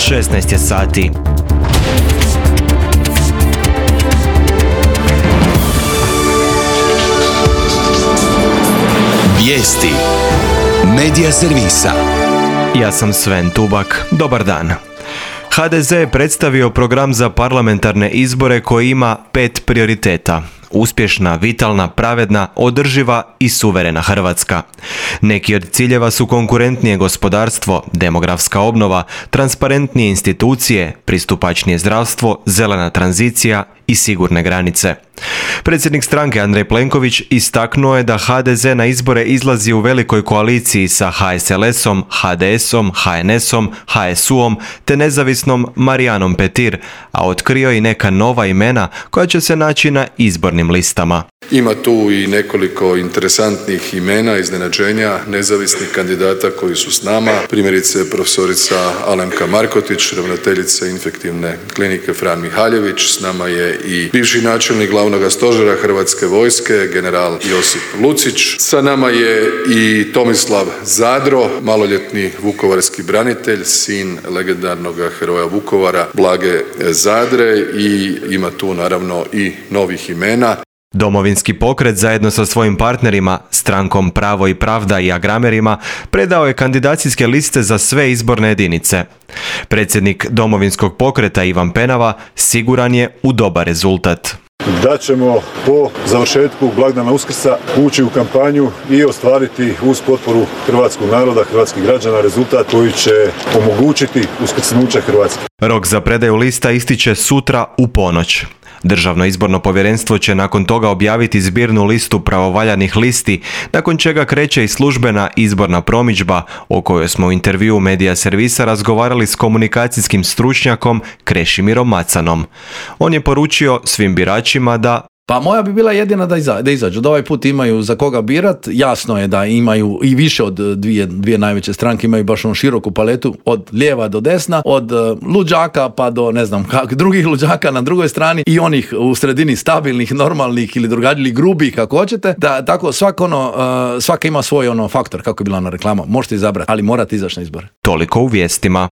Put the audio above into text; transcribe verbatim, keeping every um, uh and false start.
šesnaest je sati. Vijesti Medija servisa. Ja sam Sven Tubak. Dobar dan. ha de ze je predstavio program za parlamentarne izbore koji ima pet prioriteta. Uspješna, vitalna, pravedna, održiva i suverena Hrvatska. Neki od ciljeva su konkurentnije gospodarstvo, demografska obnova, transparentnije institucije, pristupačnije zdravstvo, zelena tranzicija i sigurne granice. Predsjednik stranke Andrej Plenković istaknuo je da ha de ze na izbore izlazi u velikoj koaliciji sa ha es el esom, ha de esom, ha en esom, ha es uom te nezavisnom Marijanom Petir, a otkrio i neka nova imena koja će se naći na izbornim listama. Ima tu i nekoliko interesantnih imena, iznenađenja, nezavisnih kandidata koji su s nama. Primjerice profesorica Alemka Markotić, ravnateljica infektivne klinike Fran Mihaljević. S nama je i bivši načelnik glavnog stožera Hrvatske vojske, general Josip Lucić. Sa nama je i Tomislav Zadro, maloljetni vukovarski branitelj, sin legendarnog heroja Vukovara Blage Zadre, i ima tu naravno i novih imena. Domovinski pokret zajedno sa svojim partnerima, strankom Pravo i pravda i Agramerima, predao je kandidacijske liste za sve izborne jedinice. Predsjednik Domovinskog pokreta Ivan Penava siguran je u dobar rezultat. Da ćemo po završetku blagdana Uskrsa ući u kampanju i ostvariti uz potporu hrvatskog naroda, hrvatskih građana rezultat koji će omogućiti uskrsnuće Hrvatske. Rok za predaju lista ističe sutra u ponoć. Državno izborno povjerenstvo će nakon toga objaviti zbirnu listu pravovaljanih listi, nakon čega kreće i službena izborna promidžba o kojoj smo u intervjuu Medija servisa razgovarali s komunikacijskim stručnjakom Krešimirom Macanom. On je poručio svim biračima da Pa moja bi bila jedina da, iza, da izađu, da ovaj put imaju za koga birat. Jasno je da imaju i više od dvije, dvije najveće stranke, imaju baš onu široku paletu od lijeva do desna, od uh, luđaka pa do ne znam kak, drugih luđaka na drugoj strani i onih u sredini stabilnih, normalnih ili drugačijih, grubih kako hoćete. Da, tako svak ono, uh, svaka ima svoj ono faktor, kako je bila ona reklama, možete izabrati, ali morate izaći na izbore. Toliko u vijestima.